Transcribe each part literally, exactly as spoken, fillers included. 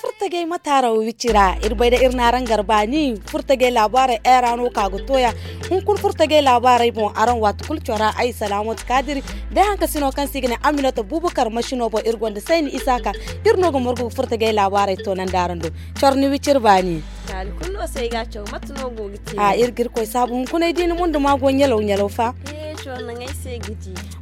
Furtajey mataaraw wicci ra iri bay da iri n'araŋ garba ni furtajey laabaarey ay ra no ka ga toya. Hunkuna furtajey laabaarey boŋ araŋ waati kulu cora ay salaamatu kaadiri day hankasino kaŋ se i ga ne aminata bubakar masino boŋ iri gonda sayni isaaka. Iri no ga margu ga furtajey laabaarey toonandi araŋ do. Cor ni wicci iri baani. Iri ga iri koy saabu hunkuna ay di ni mundu ma go ɲalaw ɲalaw fa.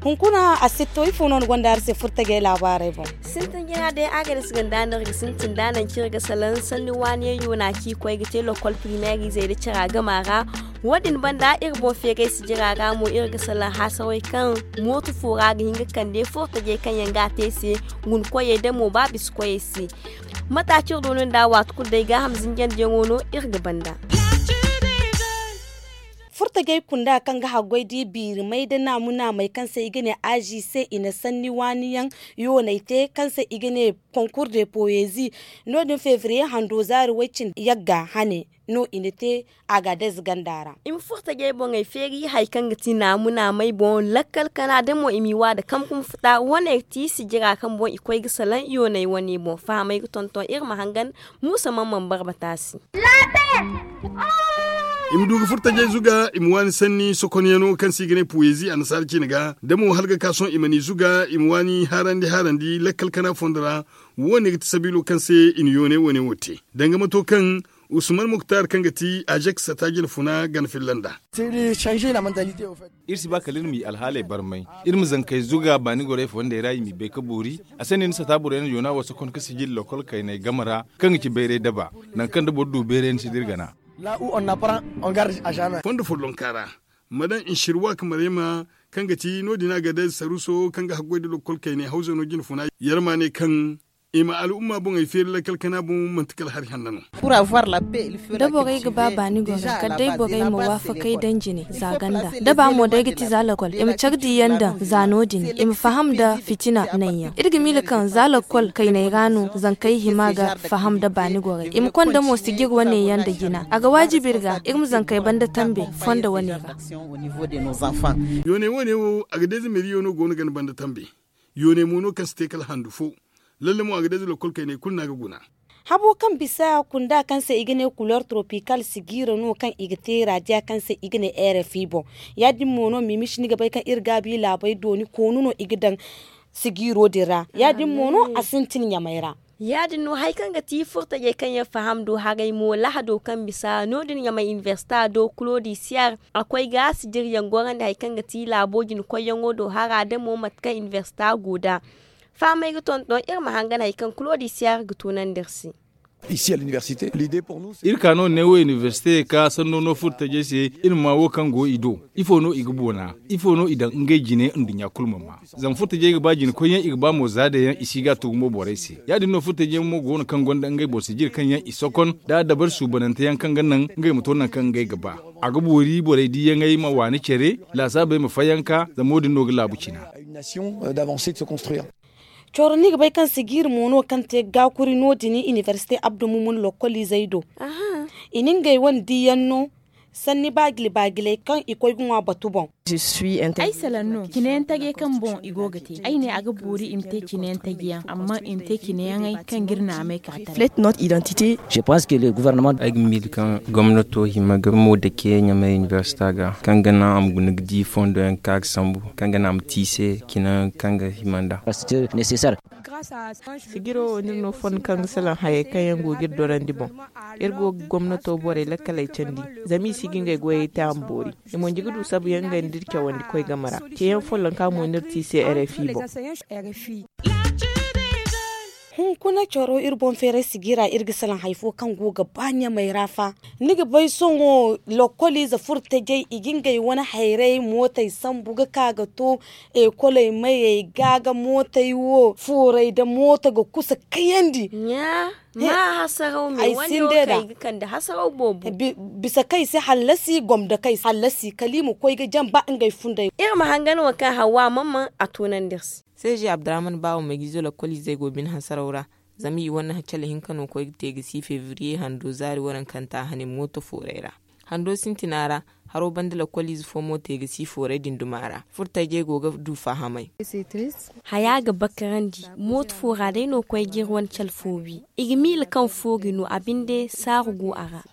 Hunkuna a sitto ifo no ni gonda hari se furtajey laabaarey boŋ? Sintin jina day a ga ni si ganda no iri ga sintin da naŋ kaŋ iri ga salaŋ sanni waani yaŋ yoona kaŋ i koy ga te lokol primeer izey da cara gama ra. Wo- din banda iri boŋ feeray sijira ra mo iri ga salaŋ haasawey kaŋ mooto fo ra ga hin ga kande furtajey kaŋ yaŋ ga a te se, guna koyey da mo ba bisa koyey se. Mate kaŋ iri du no nda waati kulu day gaaham zinjandiyaŋo no iri ga banda. Furtajey kunda kaŋ ga haggoy da i biiri may da naamu naamey kaŋ se i ga ne azi se i na sanni waani yaŋ yooney te kaŋ se i ga ne konkur de poezi. No- din febriye hando zaari way- cindi yagga hane no i na te. Agadez ganda ra i ma furtajey boŋey feeri hari kaŋ ga ti naamu naamey boŋ lakkal kana da mo i m'i wa nda kamkum futa wane ti sijira kaŋ boŋ i koy ga salaŋ yooney wane boŋ fahamey ga tonton iri ma hangan. Muusa man man barbata se. I ma du ga furtajey zuga i ma waani sanni sokonyaŋo kaŋ se i ga ne puwezi annasaara cine ga da mo hala ga ka sohõ i ma n'i zuga i ma waani haarandi haarandi lakkal kana fondo ra. Wo- ne ga ti sabiilo kaŋ se i na yoone wo- ne wo te danga mato kaŋ usman muktar kaŋ ga ti ajek sata jine funa gana filla nd'a. Iri si ba kala iri m'i alhaaley barmay. Iri ma zankey zuga baani gorey fondey ra i m'i bay ga boori. A se no i na sata borey na yoona wo sokon ga sijil lokol kayney game ra kaŋ ga ci bayray daba. Nangu kaŋ da boro du bayray ni si dira gana. Fondo follonka ra ma daŋ nsirwa ka marayma kaŋ ga ti no- din a ga day saruso kaŋ ga haggoy nda lokol kayney hawzano jine funa. Yarma ne kaŋ i ma al'umma boŋey feeri lakkal kana boŋ manti kala hari hanna no. Da borey ga ba baani goro kala day borey ma waafakey daŋ jine za ganda da ba mo day ga ti za lakkol i ma care diiyaŋ daŋ za no- din i ma faham nda fitina naŋ yaŋ iri ga miila kaŋ za lakkol kayney ra no zankey hima ga faham nda baani gorey i ma konda mo sijir wane yaŋ nda jina a ga waajibi iri ga iri ma zankey banda tambe fondo wane ra. Yooney wo- ne wo a ga day za meeriyo no go no ga ni banda tambe. Yooney mo no kaŋ si te kala handu fo. Lalle mo a ga day za lakkol kayney kulu no a ga guna. Habo kaŋ bisa kunda kaŋ se i ga ne kuleer tropikal sigiira no kaŋ i ga te raadiya kaŋ se i ga ne rfi boŋ. Ya- din mo no mimisi ni ga bay kaŋ iri gaabi laabey dooni koonu no i ga daŋ sigiiro din ra ya- din mo no a sintin ɲamey ra. Ya- din no hari kaŋ ga ti furtajey kaŋ yaŋ faham do haray mo lahado kaŋ bisa no- din ɲamey inibersita do kulodisiyar a koy ga sijiryaŋ gorandi hari kaŋ ga ti laabo jinkoyyaŋo do hara da mo mate kaŋ inibersita go nd'a. Fahamey ga tonton iri ma hangan hari kaŋ kulodisiyar ga tunandi iri se. Iri ka no ne wo inibersite ka sanno no furtajey se iri ma ma wo kaŋ go i do. Ifo no i ga boona? Ifo no i daŋ ngey jine nduɲɲa kulu ma ma? Zama furtajey ga ba jine koyyaŋ i ga ba mo za day yaŋ i si ga a tugu mo borey se. Ya- din no furtajey mo go no kaŋ gonda ngey boro sijiri kaŋ yaŋ i sokon da dabari suubanante yaŋ kaŋ ga naŋ ngey ma to nangu kaŋ ngey ga ba. A ga boori borey diiyaŋey ma waani care laasaabey ma fayanka zama wo- din no ga laabu cina. Coro ni ga bay kaŋ sigiiri mo no kaŋ te gaakuri no- din inibersite abdu mumun lokkoliizey do. I na ngey wane diiyaŋ no sanni baajili baajiley kaŋ i koy ga ŋwa batu boŋ. Ay salaŋ no cine yaŋ tajey kaŋ boŋ i go ga te ay ne a ga boori i ma te cine yaŋ taji yaŋ amma i ma te cine yaŋey kaŋ ga iri naamey ka tara. Ay ga miila kaŋ gomnato hima ga mo dake ɲamay inibersita ga kaŋ ga naŋ a ma guna ga di fondo yaŋ kaŋ a ga sambu kaŋ ga naŋ a ma te i se cine yaŋ kaŋ ga hima nd'a. Sigiro wo no iri no fondo kaŋ ga salaŋ hayey kaŋ yaŋ go ga iri dorandi boŋ. Iri go ga gomnato borey lakkaley candi zama i si ga ngey goyey te a ma boori. I mo nji ga du sabu yaŋ ngey nda iri cawandi koy game ra. Ceeyaŋ follonka mo no iri te i se rfi boŋ. Hunkuna coro iri boŋ feeray sigira iri ga salaŋ hari fo kaŋ go ga ba ɲamey ra fa. Ni ga bay sohõ lokkoliize furtajey i ga ngey wane hayrey mootey sambu ga ka ga to ekoley mayey ga ga mootey wo fooray nda mooto ga kusa kayandi. Ɲaa ma hasaraw me wane wo kaŋ i ga kande hasaraw boobo. Bisa kaŋ i si hallasi gomdo kaŋ i si hallasi kala i ma koy ga jaŋ ba ngey funday. Iri ma hangan wo kaŋ hawa mamman a tunandi iri se. Seeji abdurahman baawo meegiizo lakkoliizey go bine hasaraw ra. Zama i wane cale hinka no koy ga te ga si febriye hando zaari warankanta hane mooto fooray ra. Hando sintina ra, haro banda lakkoliize fo mo te ga si fooray din duma ra. Furtajey go ga du fahamay. Haya ga bakarandi. Mooto foora day no koy ga iri wane cale fo wi. I ga miila kaŋ foogi no a binde saaru go a ra.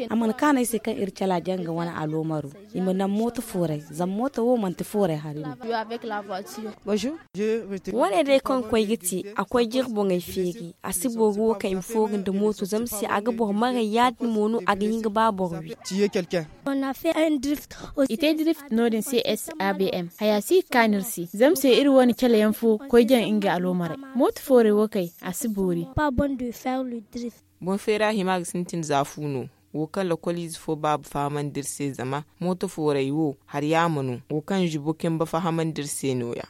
A mana kaanu ay se kaŋ iri cala janga wane aloomaro. I ma naŋ mooto fooray, zama mooto wo manti fooray hari no. Wane day kaŋ koy ga te, a koy ga iri boŋey feeri. A si booru wo kaŋ i ma fooru nda mooto zama se a ga boro maray ya- din mo no a ga hin ga ba boro wi. I te drift no- din se s a b m haya si ga kaanu iri se zama se iri wane cale yaŋ fo koy jaŋ ngey aloomaray. Mooto fooray wo kay, a si boori. Boŋ feera hima ga sintin za fu no. Wo kaŋ lakkoliize fo baaba fahamandi iri se zama mooto fooray wo hari yaama no. Wo kaŋ zibo kemba fahamandi iri se no- ya.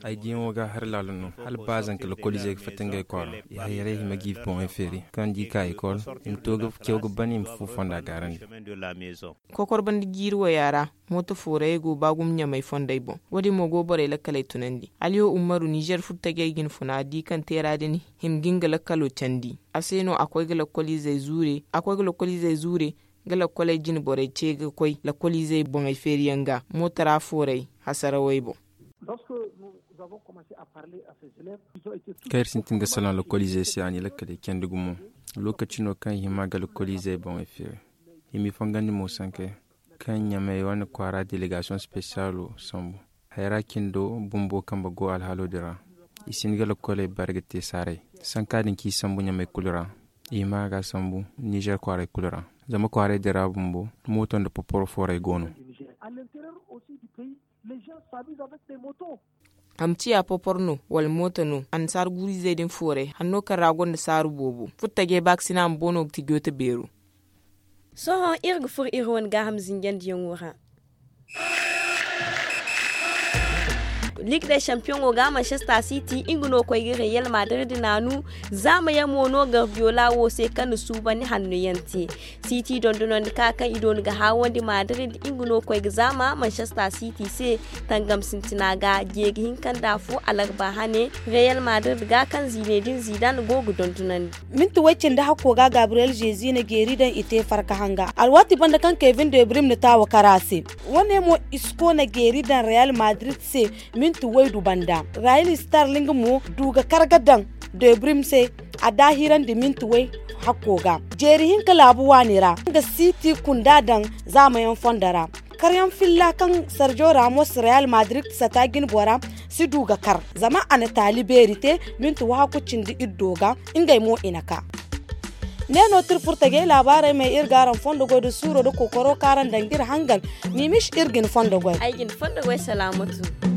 Ay diyaŋo ga hari laalo no. Hala ba zanka lakkoliizey ga fatta ngey kwaara, i hayray hima ga i boŋey feeri kaŋ di ka ekol, i ma to ga caw ga ban i ma fu fonda gaarandi. Kokor banda jiiri waya ra, mooto foorayey go ba gumo ɲamay fondey boŋ. Wo- din mo go borey lakkaley tunandi. Aliyo ummaru nizer furtajey ga hin funa di kaŋ teera din hima ga nga lakkalo candi. A se no a koy ga lakkoliizey zuure a koy ga lakkoliizey zuure, ga lakkoley jine borey ce ga koy lakkoliizey boŋey feeriyaŋ ga mooto ra fooray hasarawey boŋ. Kaŋ iri sintin ga salaŋ lakkoliizey se a n'i lakkaley candi gumo. Lookaci no kaŋ i hima ga lakkoliizey boŋey feeri. I m'i fongandi mo sankey kaŋ ɲamey wane kwaara delegasiyoŋ spesiyaalo sambu. Hayra cindo bumbo kambe go alhaalo din ra. I si hin ga lakkoley bare ga te saaray. Sanka din kaŋ i sambu ɲamey kulu ra, i hima ga sambu nizer kwaaray kulu ra. Zama kwaaray din ra bumbo mooto nda poporo fooray go no. A ma ciya popor no wala mooto no annasaara guuru-izey din fooray hanno kaŋ ra gonda saaru boobo. Furtajey baakasina ma boono ga ti joote beero. Sohõ iri ga furo iri wane gaaham zinjandiyaŋo ra. Ligue des champiyoŋo ga manchester city nga no koy ga real madrid naanu. Zaama yaŋ mo no gardiola wo se kaŋ na suubandi hanno yaŋ te. City dondonandi ka kaŋ i dooni ga haawandi madrid nga no koy ga zaama manchester city se. Tangam sintina ga jeeri hinka nda afo alarba hane real madrid ga kaŋ ziine din zidan go ga dondonandi. Minti way cindi hakko ga gabriel jezi na jeeri daŋ i te farka hanga alwaati banda kaŋ kevin de brim na taawa kara se. Wane mo isco na jeeri daŋ real madrid se. Minti waydu banda rail starling mo du ga kar ga daŋ debrim se. A daahirandi minti way hakko ga jeeri hinka laabu waani ra nga siti kunda daŋ zaamayaŋ fondo ra. Karyaŋ filla kaŋ sergio ramos real madrid sata jine bora si du ga kar zama a na taali beeri te minti wahakku cindi iddo ga. Ngey mo i na ka ne no tirfurta gay laabaarey ma iri ga araŋ fondo goy da suuro da kookaro kaŋ araŋ daŋ ga iri hangan. Miimish iri ga ni fondo goy ay ga ni fondo goy salaamatu.